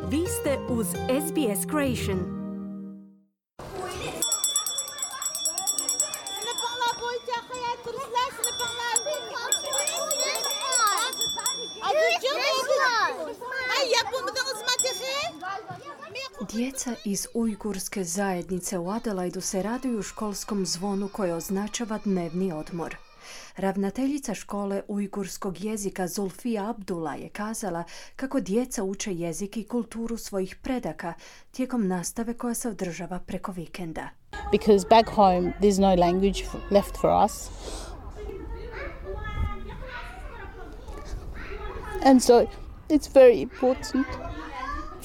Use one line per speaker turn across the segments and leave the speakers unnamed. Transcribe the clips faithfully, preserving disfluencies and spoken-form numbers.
Vi ste uz S B S Creation. Djeca iz ujgurske zajednice u Adelaidu se raduju školskom zvonu koje označava dnevni odmor. Ravnateljica škole ujgurskog jezika Zulfija Abdullah je kazala kako djeca uče jezik i kulturu svojih predaka tijekom nastave koja se održava preko vikenda.
Because back home there's no language left for us. And so it's very important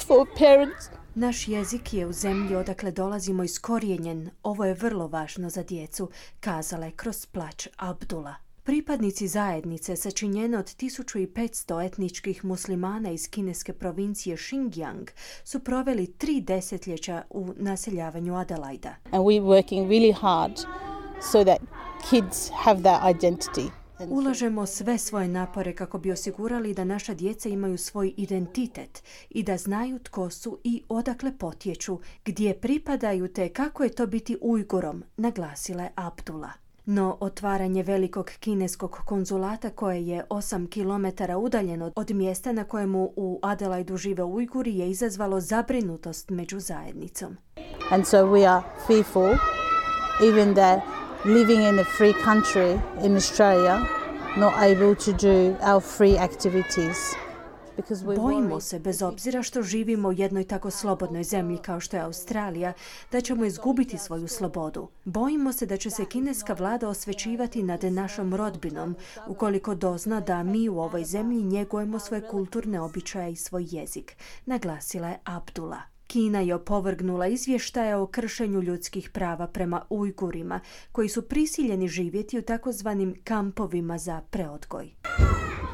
for parents.
Naš jezik je u zemlji odakle dolazimo iskorijenjen. Ovo je vrlo važno za djecu, kazala je kroz plać Abdullah. Pripadnici zajednice, sačinjene od tisuću petsto etničkih muslimana iz kineske provincije Xinjiang, su proveli tri desetljeća u naseljavanju Adelaida.
And we're working really hard so that kids have that identity.
Ulažemo sve svoje napore kako bi osigurali da naša djeca imaju svoj identitet i da znaju tko su i odakle potječu, gdje pripadaju te kako je to biti Ujgurom, naglasila je Abdullah. No otvaranje velikog kineskog konzulata koje je osam kilometara udaljeno od mjesta na kojemu u Adelaidu žive Ujguri je izazvalo zabrinutost među zajednicom.
And so we are fearful, even that living in a free country in Australia, not able to do our free activities.
Bojimo se, bez obzira što živimo u jednoj tako slobodnoj zemlji kao što je Australija, da ćemo izgubiti svoju slobodu. Bojimo se da će se kineska vlada osvećivati nad našom rodbinom, ukoliko dozna da mi u ovoj zemlji njegujemo svoje kulturne običaje i svoj jezik, naglasila je Abdullah. Kina je opovrgnula izvještaje o kršenju ljudskih prava prema Ujgurima, koji su prisiljeni živjeti u takozvanim kampovima za preodgoj.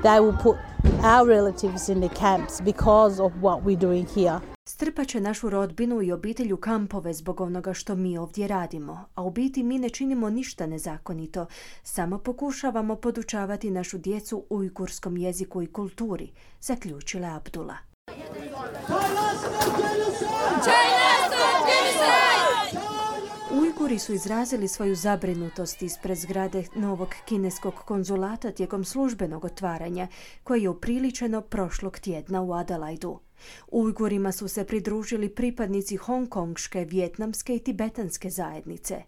They will put our relatives in the camps because of what we're doing here.
Strpat će našu rodbinu i obitelj u kampove zbog onoga što mi ovdje radimo, a u biti mi ne činimo ništa nezakonito, samo pokušavamo podučavati našu djecu ujgurskom jeziku i kulturi, zaključila Abdullah. Ujguri su izrazili svoju zabrinutost ispred zgrade novog kineskog konzulata tijekom službenog otvaranja, koje je upriličeno prošlog tjedna u Adelaidu. Ujgurima su se pridružili pripadnici hongkonške, vijetnamske i tibetanske zajednice.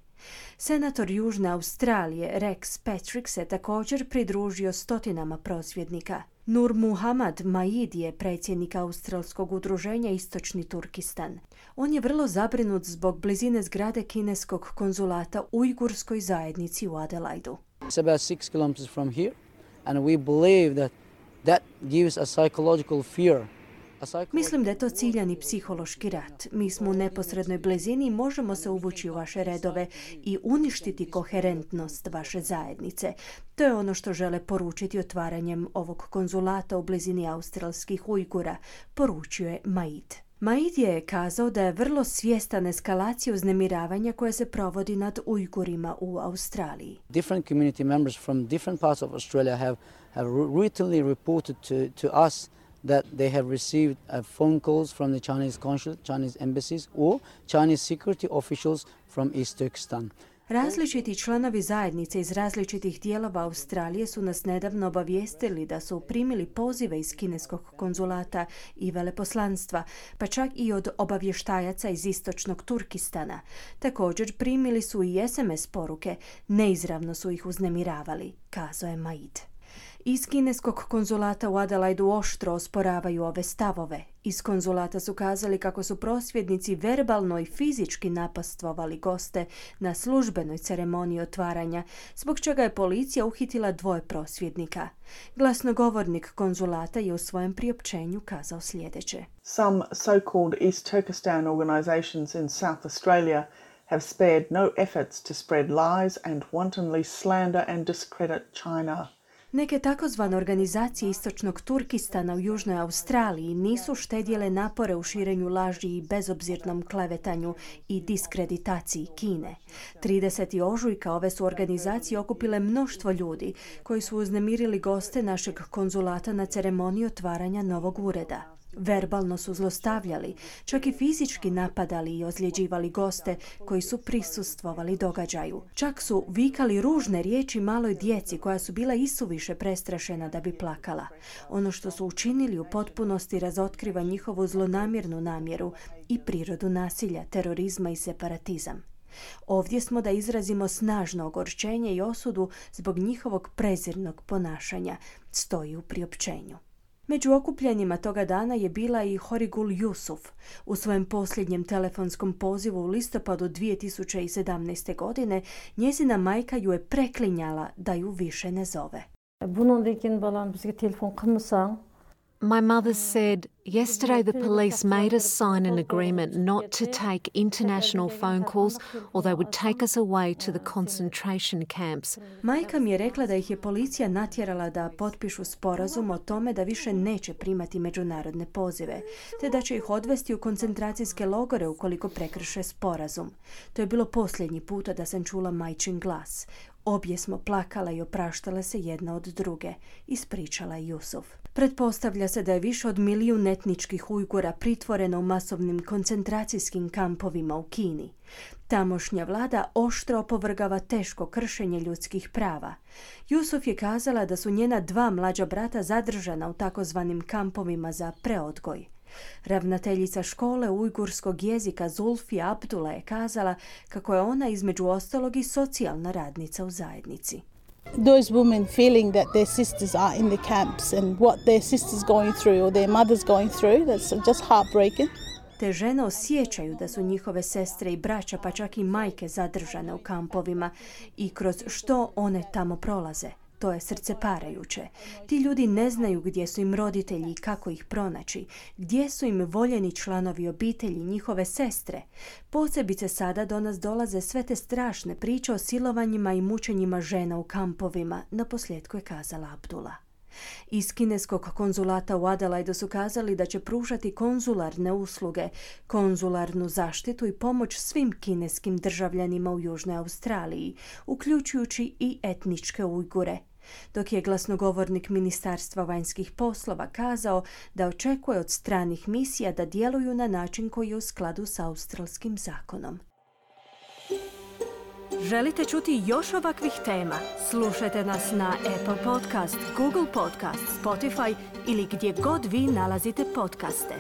Senator Južne Australije Rex Patrick se također pridružio stotinama prosvjednika. Nur Muhammad Maid je predsjednik australskog udruženja Istočni Turkistan. On je vrlo zabrinut zbog blizine zgrade kineskog konzulata ujgurskoj zajednici u Adelaidu.
It's about six kilometers from here, and we believe that that gives a psychological fear.
Mislim da je to ciljani psihološki rat. Mi smo u neposrednoj blizini i možemo se uvući u vaše redove i uništiti koherentnost vaše zajednice. To je ono što žele poručiti otvaranjem ovog konzulata u blizini australskih Ujgura, poručio je Maid. Maid je kazao da je vrlo svjestan eskalacije uznemiravanja koje se provodi nad Ujgurima u Australiji.
Different community members from different parts of Australia have, have routinely reported to, to us that they have received uh, phone calls from the Chinese consulate, Chinese embassies or Chinese security officials from East Turkestan.
Različiti članovi zajednice iz različitih dijelova Australije su nas nedavno obavijestili da su primili pozive iz kineskog konzulata i veleposlanstva, pa čak i od obavještajaca iz istočnog Turkistana. Također primili su i es em es poruke, neizravno su ih uznemiravali, kazao je Maid. Iz kineskog konzulata u Adelaidu oštro osporavaju ove stavove. Iz konzulata su kazali kako su prosvjednici verbalno i fizički napastvovali goste na službenoj ceremoniji otvaranja, zbog čega je policija uhitila dvoje prosvjednika. Glasnogovornik konzulata je u svojem priopćenju kazao sljedeće.
Some so-called East Turkestan organizations in South Australia have spared no efforts to spread lies and wantonly slander and discredit China.
Neke takozvane organizacije istočnog Turkistana u Južnoj Australiji nisu štedjele napore u širenju laži i bezobzirnom klevetanju i diskreditaciji Kine. tridesetog ožujka ove su organizacije okupile mnoštvo ljudi koji su uznemirili goste našeg konzulata na ceremoniji otvaranja novog ureda. Verbalno su zlostavljali, čak i fizički napadali i ozljeđivali goste koji su prisustvovali događaju. Čak su vikali ružne riječi maloj djeci koja su bila isuviše prestrašena da bi plakala. Ono što su učinili u potpunosti razotkriva njihovu zlonamjernu namjeru i prirodu nasilja, terorizma i separatizam. Ovdje smo da izrazimo snažno ogorčenje i osudu zbog njihovog prezirnog ponašanja, stoji u priopćenju. Među okupljenjima toga dana je bila i Horigul Yusuf. U svojem posljednjem telefonskom pozivu u listopadu dvije tisuće sedamnaeste. godine njezina majka ju je preklinjala da ju više ne zove.
My mother said, yesterday the police made us sign an agreement not to take international phone calls or they would take us away to the concentration camps.
Majka mi je rekla da ih je policija natjerala da potpišu sporazum o tome da više neće primati međunarodne pozive, te da će ih odvesti u koncentracijske logore ukoliko prekrše sporazum. To je bilo posljednji puta da sam čula majčin glas. Obje smo plakala i opraštale se jedna od druge, ispričala je Yusuf. Pretpostavlja se da je više od milijun etničkih Ujgura pritvoreno u masovnim koncentracijskim kampovima u Kini. Tamošnja vlada oštro opovrgava teško kršenje ljudskih prava. Yusuf je kazala da su njena dva mlađa brata zadržana u takozvanim kampovima za preodgoj. Ravnateljica škole ujgurskog jezika Zulfi Abdullah je kazala kako je ona između ostalog i socijalna radnica u zajednici.
Those women feeling that their sisters are in the camps and what their sisters going through or their mothers going through, that's just heartbreaking.
Te žene osjećaju da su njihove sestre i braća, pa čak i majke zadržane u kampovima i kroz što one tamo prolaze. To je srceparajuće. Ti ljudi ne znaju gdje su im roditelji i kako ih pronaći, gdje su im voljeni članovi obitelji, njihove sestre. Posebice sada do nas dolaze sve te strašne priče o silovanjima i mučenjima žena u kampovima, naposljetku je kazala Abdullah. Iz kineskog konzulata u Adelaidu su kazali da će pružati konzularne usluge, konzularnu zaštitu i pomoć svim kineskim državljanima u Južnoj Australiji, uključujući i etničke Ujgure. Dok je glasnogovornik Ministarstva vanjskih poslova kazao da očekuje od stranih misija da djeluju na način koji je u skladu s australskim zakonom. Želite čuti još ovakvih tema? Slušajte nas na Apple Podcast, Google Podcast, Spotify ili gdje god vi nalazite podcaste.